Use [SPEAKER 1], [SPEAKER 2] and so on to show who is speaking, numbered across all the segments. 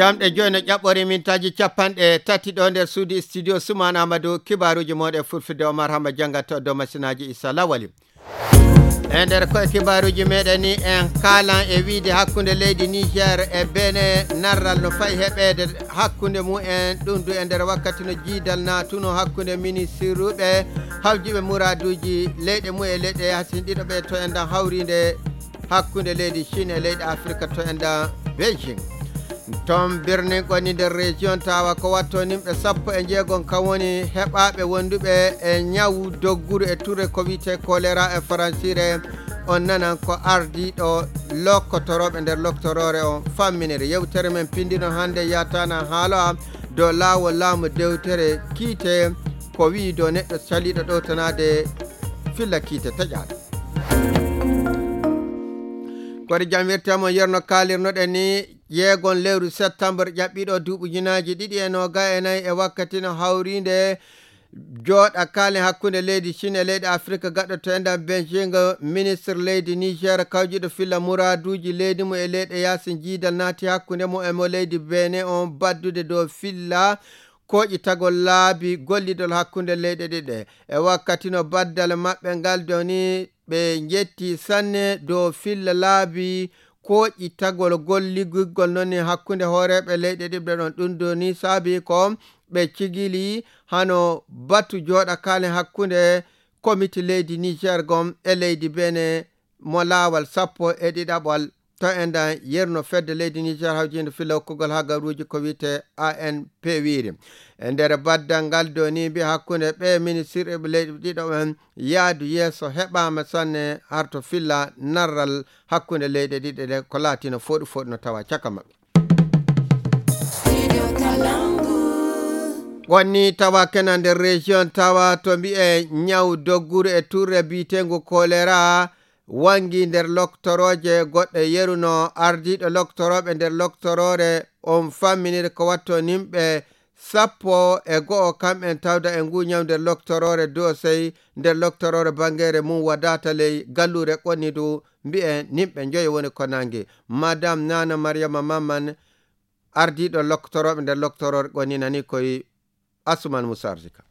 [SPEAKER 1] jamɗe joyi no ƴaɓɓori mintaji capanɗe tati ɗo nder suudi studio Suman Amadou kibaruji moɗe fulfide Omar Hamba jangata dow masinaji Issa Lawali e nder koye kibaruji meɗen ni en kalan e wiide hakkunde leydi Niger e Benin narral no fayi heɓede hakkunde mumen ɗum du e nder wakkati no jiidal natuno hakkunde ministre hawjiɓe muraduji leyɗe mu e leyɗe yasinɗiɗo to endan hawride hakkunde leydi Chine e leydi Afrique to endan Beijing ton birni goni nder région tawa ko watto nimɓe 16 kan woni heɓaɓe wonduɓe e nyawu dogguru e touré ko wiyete choléra e françire on nanan ko ardiɗo lokkotoroɓe nder loktorore on famminere yewtere men pindino hande yatana haala dow lawol laamu dewtere kiite ko wi do neɗɗo caliɗo ɗo tanade filla kiite taƴaɗo koɗe jam wirtamo yerno kalirnoɗen ni yeegon lewru septembre ƴaɓɓiɗo duuɓujunaji 2024 e wakkati no hawride jooɗa kaalen hakkunde leydi Chine e leydi Afrique gaɗɗo to endan Beijing ministre leydi Niger kawjiɗo filla muraduji leydi mu e leyɗe yasin jiidal naati hakkunde mo e mo leydi Benin on baddude dow filla koƴi tagol laabi gollidol hakkunde leyɗe ɗiɗe e wakkati no baddal maɓɓe ngal doni ɓe jetti sanne dow filla laabi koƴi tagol golligol noon hakkunde hooreɓe leyɗe ɗiɗɗe ɗon ɗum doni saabi ko ɓe cigili hano batu jooɗa kaalen hakkunde comité leydi Niger gom e leydi Benin mo laawal 12 to endan yerno fedde leydi Niger hawjinde filla hokkugol ha garuji ko wiyete ANP wiiri e nder baddal ngal doni mbi hakkunde ɓe ministre ɓe leydi ɗiɗo ɓen yaadu yeeso heɓama sanne harto filla narral hakkunde leyɗe ɗiɗe ɗe ko laatino foɗu no tawa caka maɓɓe wonni tawa kena nder région tawa to mbi'e nyaw dogguru e touré bitengu choléra wangi nder loktoroje goɗɗe yeruno ardiɗo loktoroɓe nder loktorore on famminire ko watto nimɓe 11 kamɓen tawda e nguñaw nder loktorore dosey nder loktorore bangere mum wadata ley gallure qonnidu mbi'e nimɓe 5 woni ko nangi madame Nana Mariama Mamman ardiɗo loktoroɓe nder loktorore qonninani koye Asuman Musa Arzika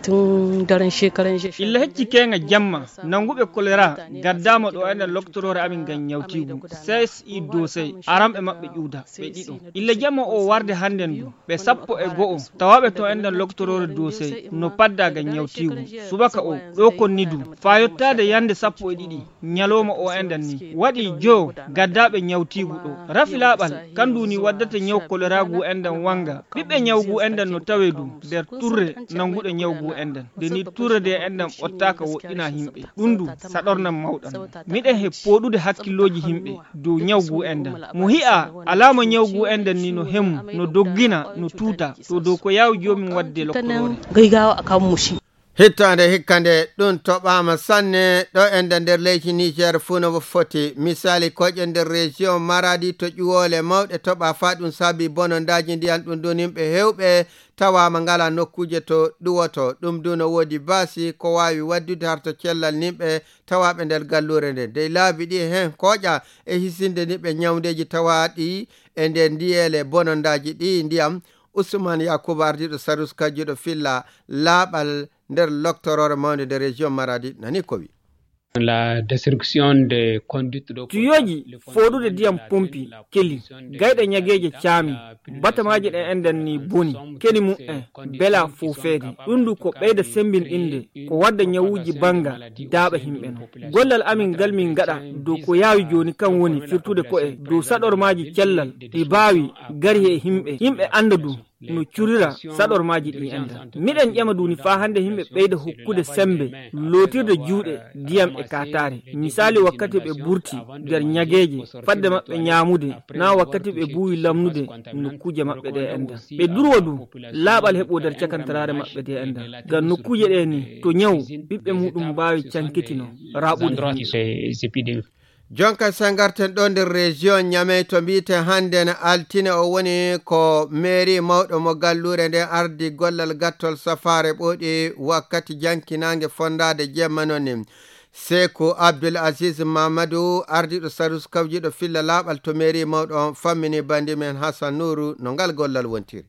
[SPEAKER 2] tun daren shekaran
[SPEAKER 3] illa hecci kenga jamma nanguɓe choléra gaddama ɗo enen loktorore amin gan nyawtigu CSI dosey aramɓe maɓɓe ƴuuda ɓe ɗiɗo illa jamma o warde hannden du ɓe 11 tawaɓe to enden loktorore dosey no padda gan nyawtigu subaka o ɗo konni du fa yottade yande 12 nyaloma o enden ni waɗi jo gaddaɓe nyawtigu ɗo rafi laɓal kanduni waddata nyaw choléra gu enden wanga ɓiɓɓe nyawgu enden no tawe du nder turre nanguɗe nyawgu enden deni turade enden ɓottaka woɗɗina himɓe ɗum du saɗornan mawɗan miɗen he poɗude hakkilloji himɓe dow nyawgu enden mo hi'a alama nyawgu enden ni no hemu no doggina no tuuta to dow ko yawi jomin wadde lokkorore
[SPEAKER 2] gaygawa akam mushi
[SPEAKER 1] hittande hikkande ɗum toɓama sanne ɗo ende nder leydi Niger fuu no foti misali koƴe nder région Maradi to ƴuwole mawɗe toɓa fa ɗum saabi bonondaji ndiyan ɗum ɗon yimɓe hewɓe tawama ngala nokkuje to ɗuwoto ɗum du no woodi basi ko wawi waddude harto cellal nimɓe tawaɓe nder gallure nde dey laabi ɗi hen koƴa e hisinde niɓe nyawdeji tawaɗi e nder ndiyele bonondaji ɗi ndiyam Ousmane Yakuba ardiɗo Sarus kajjuɗo filla laaɓal nder loktorore mawde de région Maradi nani ko wi
[SPEAKER 4] la destruction de conduite de
[SPEAKER 3] tuyoji foɗude ndiyam pompi keli gayɗe ñageje caami batamaji ɗe enden ni boni keni mum bela fofede ɗum du ko ɓeyda sembinɗinde ko wadda nyawuji banga daaɓa himɓe no gollal amin ngal min gaɗa dow ko yawi joni kan woni firtude ko'e dow saɗormaji cellal ɗi bawi gari e yimɓe anda du no curira saɗormaji ɗi enda miɗen ƴama duni fa hande yimɓe ɓeyda hokkude sembe lotirde juuɗe ndiyam e katare misali wakkati ɓe burti nder ñageje fadde maɓɓe ñamude na wakkati ɓe buwi lamnude nokkuje maɓɓe ɗe enda ɓe durwa du laaɓal heɓo nder cakantarare maɓɓe ɗe enda ngam nokkuje ɗe ni to nyaw ɓiɓɓe muɗum mbawi cankitino raɓude
[SPEAKER 1] jonka sangarten ɗo nder région Niamey to mbiten hande na altine o woni ko mairie mawɗo mo gallure nden ardi gollal gattol safare ɓoɗi wakkati jankinange fondade jemma noon Seko Abdul Aziz Mamadou ardiɗo Sarus kawjiɗo filla laaɓal to mairie mawɗo fammini bandi men Hassan Nourou no ngal gollal wontiri.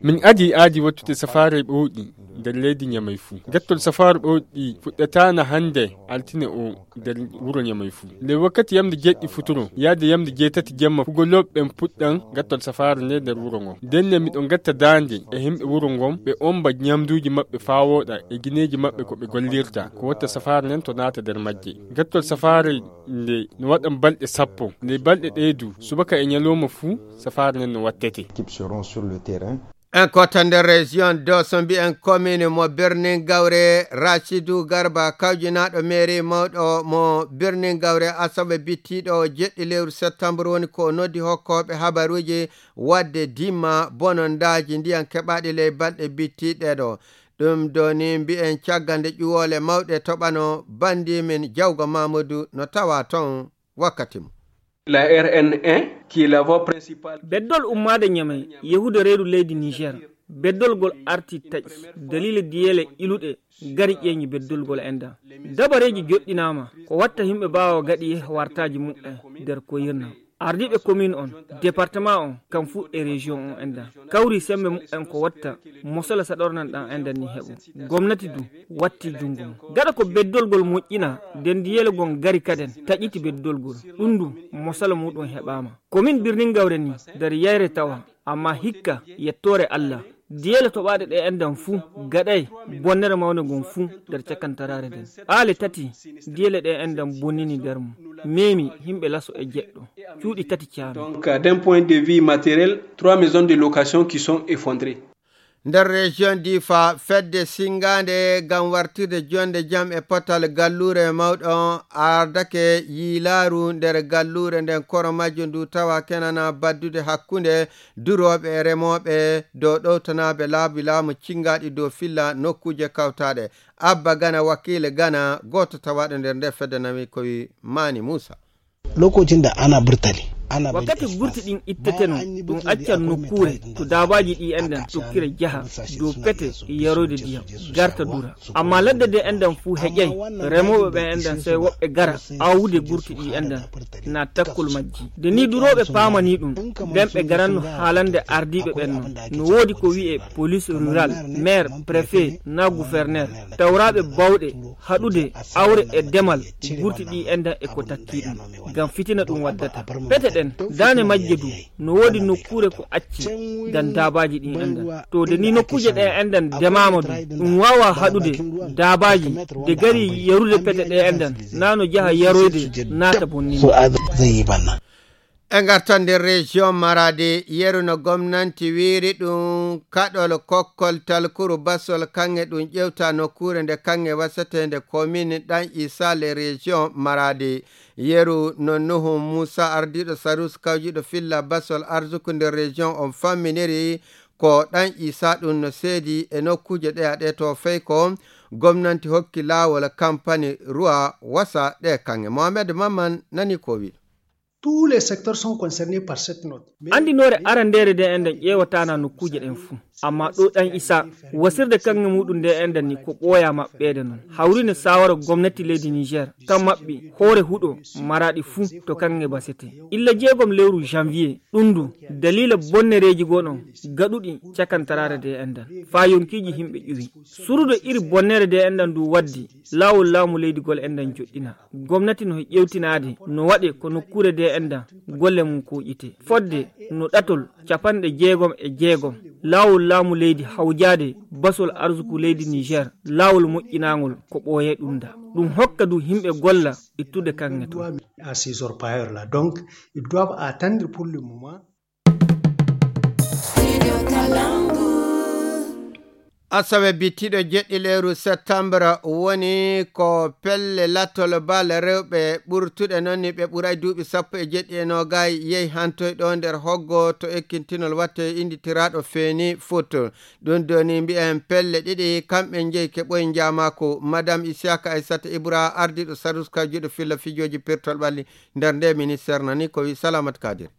[SPEAKER 5] Min adi wattude safare ɓowɗi nder leydi Ñamay fuu. Gattol safare ɓowɗi fuɗɗatana hande altine o nder wuro Ñamay fuu. Nde wakkati yamde jeɗɗi futuro yaade yamde jeetati jemma fugoloɓe ɓen puɗɗan gattol safare nde nder wuro ngon. Denne miɗon gatta dande e himɓe wuro ngon ɓe omba ñamduji maɓɓe faa woɗa e guineji maɓɓe ko ɓe gollirta ko watta safare nden to naata nder majje. Gattol safare nde no waɗan balɗe 10 nde balɗe ɗeedu subaka e ñalowma fuu safare nden no wattete.
[SPEAKER 1] En kota nder région Dosso mbi'en commune mo Birnin Gawre Rachidou Garba kawjinaɗo mairie mawɗo mo Birnin Gawre asaɓe bittiɗo jeɗɗi lewru septembre woni ko noddi hokkoɓe habaruji wadde dimma bonondaji ndiyan keɓaɗi ley balɗe bittiɗeɗo. ɗum doni mbi'en caggal nde ƴuwole mawɗe toɓano bandi min Jawgo Mamadou no tawa ton wakkati mum.
[SPEAKER 6] La RN1 qui est la voie principale.
[SPEAKER 3] Beddol ummade Ñamay yehude reedu leydi Niger. Beddolgol arti taƴi dalila diyele iluɗe gari ƴeñi beddolgol enda. Dabareji joɗɗinama ko watta himɓe bawa gaɗi wartaji muɗɗe nder ko yirna. Ardiɓe commune on département on kam fu e région on enda kawri sembe muɗɗen ko watta mosola saɗornan ɗan enda ni heɓu gomnati du watti jungo gaɗa ko beddolgol moƴƴina nden diyele gon gari kaden taƴiti beddolgol ɗum du mosola muɗum heɓama commune Birnin Gawre ni nder yayre tawa amma hikka yettore Allah diyele toɓaɗe ɗe endan fuu gaɗay bonnere mawne gon fuu nder cakkantarare nden aale tati diyele ɗe endan bonnini nder mum memi himɓe laso e jeɗɗo cuuɗi tati caami.
[SPEAKER 6] Donc d'un point de vue matériel 3 maisons de location qui sont effondrées.
[SPEAKER 1] nder région Difa fedde singande gam wartirde jonde jam e potal gallure mawɗo ardake yilaru nder gallure nden koro majjo ndu tawa kenana baddude hakkunde duroɓe e remoɓe dow ɗowtanaɓe laabi laamu cingaɗi dow filla nokkuje kawtaɗe. Abba Gana wakile Gana goto tawaɗo nder nde fedde nami koye Mani Moussa.
[SPEAKER 7] Lokacin da ana burtali
[SPEAKER 3] wakkati gurti ɗin itteteno ɗum accan nokkure to dabaji ɗi endan tokkire jaha dow pete yarode ndiyam garta dura amma ladde de endan fuu heƴay remoɓe ɓe endan sey woɓɓe gara awude gurti ɗi endan na takkol majji de ni duroɓe pamani ɗum nden ɓe garanno haalande ardiɓe ɓen no woodi ko wi'e police rural maire préfet na gouverneur tawraɓe bawɗe haɗude awre e demal gurti ɗi endan e ko takki ɗum gam fitina ɗum waddata pete dane majje du no wodi nokkure ko acci dan dabaji ɗin endan to de ni nokkuje ɗe endan demama du ɗum wawa haɗude dabaji de gari yarude pete ɗe endan nano jaha yaroyde nata bonni
[SPEAKER 1] e gartan nder région Maradi yeru no gomnanti wiiri ɗum kaɗol kokkol talkuru basol kange ɗum ƴewta nokkure nde kange wasatende commune ɗan Issa le région Maradi yeru no Nuhu Moussa ardiɗo Sarus kawjiɗo filla basol arzuku nder région on famminiri ko ɗan Issa ɗum no seedi e nokkuje ɗe aɗe to fey ko gomnanti hokki laawol campagne ruwa wasa ɗe kange. Mohamed Maman nani ko wi.
[SPEAKER 8] Tous les secteurs sont concernés par cette note.
[SPEAKER 3] Andinore arandere de enden ƴewatana nokkuje ɗen fuu amma ɗo ɗan Issa wasirde kange muɗum nde enden ni ko ɓooya maɓɓede noon hawrine sawara gomnati leydi Niger kam maɓɓi hoore huɗo Maradi fuu to kange basete illa jeegom lewru janvier ɗum du dalila bonnereji goɗon gaɗuɗi cakantarare de enden fa yonkiji himɓe ƴuwi surudo iri bonnere de enden du waddi lawol laamu leydigol enden joɗɗina gomnati no ƴewtinade no waɗe ko nokkure de enden golle mum ko ƴite fodde no ɗatol 6 lawol laamu leydi hawjade basol arzuku leydi Niger lawol moƴƴinagol ko ɓooye ɗum da ɗum hokka du himɓe golla ittude kange to
[SPEAKER 8] à ces orpailleurs là donc ils doivent attendre pour le moment.
[SPEAKER 1] Asawe bittiɗo jeɗɗi lewru septembre woni ko pelle lattol bal rewɓe ɓurtuɗe noon ni ɓe ɓuray duuɓi 17 yehi hantoyɗo nder hoggo to ekkintinol watte inditiraɗo feeni foot ɗum doni mbi'en pelle ɗiɗi kamɓe jeyi keɓoye jamako madame Isiaka Aissata Ibra ardiɗo Sarus kawjiɗo filla fijoji pirtol ɓalli nder nde ministére nani ko wi Salamat Kadir.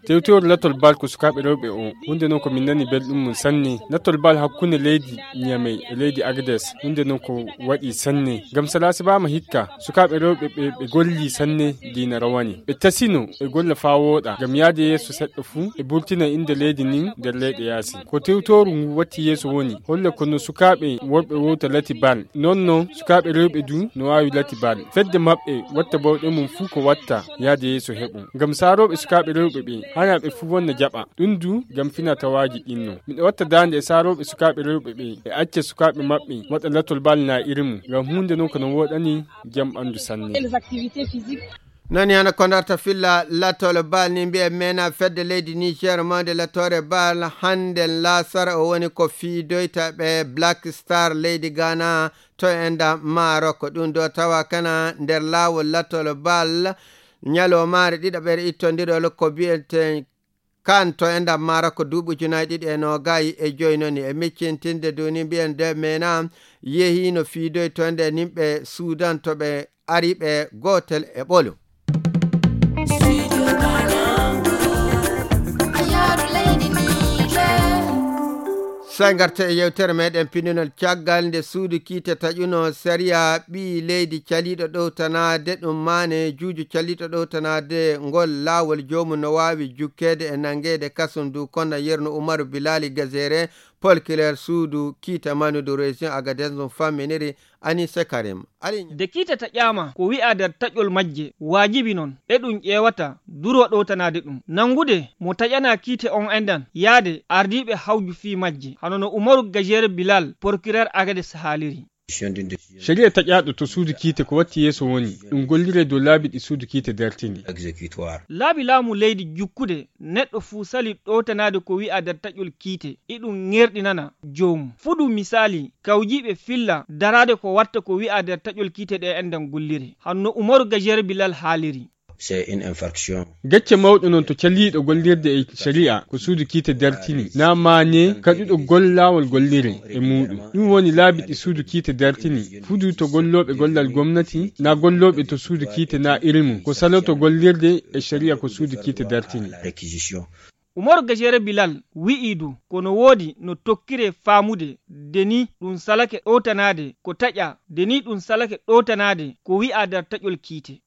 [SPEAKER 5] tewtewol latol bal ko sukaɓe rewɓe o hunde noon ko min nani belɗum mum sanne latol bal hakkunde leydi Niamey e leydi Agadez hunde noon ko waɗi sanne gam salasi bama hikka sukaɓe rewɓe ɓe golli sanne dina rawani ɓe tasino e golla fa woɗa gam yaade yeeso seɗɗo fuu e burtina inde leydi nin nder leyɗe yaasi ko tewtoru ngu watti yeeso woni holle kono sukaɓe worɓe wowta lati bal nonno sukaɓe rewɓe du no wawi lati bal fedde mabɓe watta bawɗe mum fuu ko watta yaade yeeso heɓum gam saroɓe sukaɓe rewɓe ɓe hana ɓe fuu wonna jaɓa ɗum du gam fina tawaji ɗinno miɗo watta dande e saroɓe sukaɓe rewɓe ɓe e acca sukaɓe mabɓe waɗa latol bal na irimu gam hunde noon kono woɗani jam ɓandu sanne
[SPEAKER 1] nani hana ko darta filla latole bal ni mbiye mena fedde leydi Niger mawde latore bal hande lasara o woni ko fiidoyta ɓe Black Star leydi Ghana to enda Maroc ɗum do tawa kana nder lawol latole bal nyalomare ɗiɗaɓere ittodirol ko biyete kan to enda Maroc duuɓi 2025 noni e miccintinde duni mbiyen de mena yehi no fiidoy to nde nimɓe Sudan to ɓe ari ɓe gotel e ɓolu sai garte e yewtere meɗen pininol caggal nde suudu kiite taƴuno séria ɓi leydi caliɗo ɗowtanade ɗum mane juuju caliɗo ɗowtanade ngol laawol jomum no wawi jukkede e nangede kasum du konna yerno Umaru Bilali Gazere Paul Claire suudu kiita manudu région Agadez ɗum famminiri Anise Karim
[SPEAKER 3] de kiita taƴama ko wi'a nder taƴol majje wajibi non e ɗum ƴewata duro ɗowtanade ɗum nangude mo taƴana kiite on endan yaade ardiɓe hawju fi majje hanono Umaru Gajere Bilal procureur Agadez haaliri
[SPEAKER 5] sharia taƴaɗo to suudu kiite ko watti yeeso woni ɗum gollire dow laabi ɗi suudu kiite dartini
[SPEAKER 3] laabi laamu leydi jukkude neɗɗo fuu sali ɗowtanade ko wi'a nder taƴol kiite iɗum ŋerɗinana jomum fuɗu misali kawjiɓe filla darade ko watta ko wi'a nder taƴol kiite ɗe endan gollire hanno Umaru Gajere Bilal haaliri
[SPEAKER 9] c'est une infraction.
[SPEAKER 5] Gacce mawɗo non to calliɗo gollirde e sharia ko suudu kiite dartini na mane kaɗuɗo gollawol gollire e muɗum ɗum woni laabi ɗi suudu kiite dartini fudu to golloɓe gollal gomnati na golloɓe to suudu kiite na ilmu ko saloto gollirde e sharia ko suudu kiite dartini.
[SPEAKER 3] Umaru Gajere Bilal wi'idu kono woodi no tokkire faamude deni ɗum salake ɗowtanade ko taƴa deni ɗum salake ɗowtanade ko wi'a nder taƴol kiite.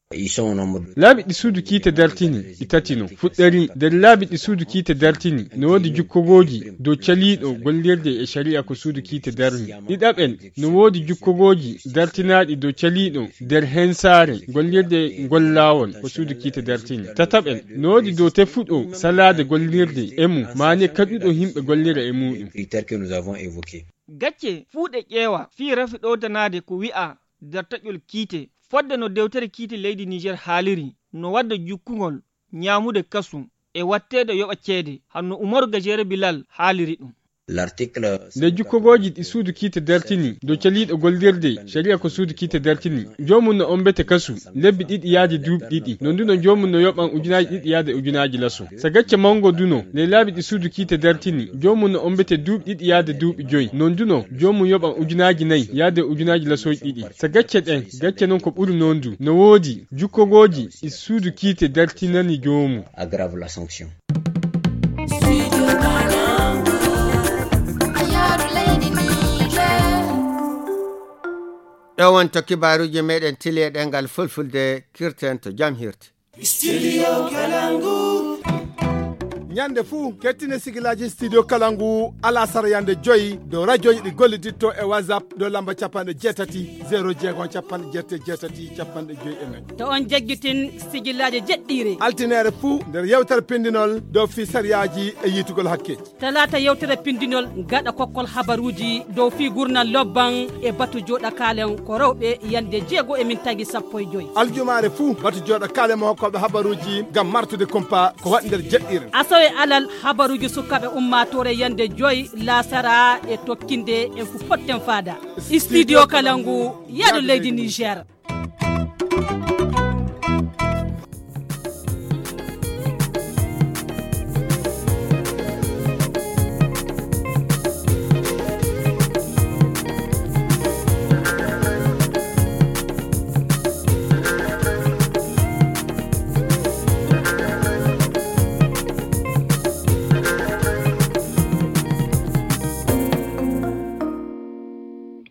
[SPEAKER 5] laabi ɗi suudu kiite dartini ɗi tatino fuɗɗari nder laabi ɗi suudu kiite dartini no woodi jukkogoji dow caliɗo gollirde e sharia ko suudu kiite darni ɗiɗaɓen no woodi jukkogoji dartinaɗi dow caliɗo nder hensare gollirde ngol laawol ko suudu kiite dartini tataɓen no woodi dow tefuɗo salade gollirde e mum mane kaɗuɗo himɓe gollira e muɗum.
[SPEAKER 3] gacce fuuɗe ƴeewa fi rafi ɗowtanade ko wi'a nder taƴol kiite fodde no dewtere kiite leydi Niger haaliri no wadda jukkugol ñaamude kasum e wattede yoɓa ceede hanno Umaru Gajere Bilal haaliri ɗum.
[SPEAKER 5] nde jukkogoji ɗi suudu kiite dartini dow caliɗo gollirde sharia ko suudu kiite dartini jomum no ombete kasu lebbi ɗiɗi yaade duuɓi ɗiɗi no nduno jomum no yoɓan ujunaji ɗiɗi yaade ujunaji laso so gacce mango duno nde laabi ɗi suudu kiite dartini jomum no ombete duuɓi ɗiɗi yaade duuɓi joyi no nduno jomum yoɓan ujunaji nayyi yaade ujunaji lasoji ɗiɗi so gacce ɗen gacce non ko ɓuri non du no woodi jukkogoji ɗi suudu kiite dartinani jomum.
[SPEAKER 1] ɗo wonto kibaruji meɗen tili e ɗengal fulfulde kirten to jam hirti.
[SPEAKER 10] Studio Kalangu. Nyande fuu kettine sigilaji studio Kalangu ala sara yande joyi do radio ɗi golliditto e WhatsApp do lamba capanɗe jeetati 0 capanɗe jeetati capanɗe joyi e nayyi
[SPEAKER 11] to on jaggitin sigilaji jeɗɗiri
[SPEAKER 10] altinere fuu nder yewtere pindinol dow fi sariyaji e yitugol hakkeji
[SPEAKER 11] talata yewtere pindinol gaɗa kokkol habaruji dow fi gurnal lobban e batu joɗa kalen ko rewɓe yande 6:15
[SPEAKER 10] aljumare fuu batu joɗa kalen mo hokkoɓe habaruji gam martude kumpa ko waɗi nder jeɗɗiri
[SPEAKER 11] e alal habaruji sukaɓe ummatore yande 5 lasara e tokkinde en fu potten fada studio Kalangu yaɗo leydi Niger.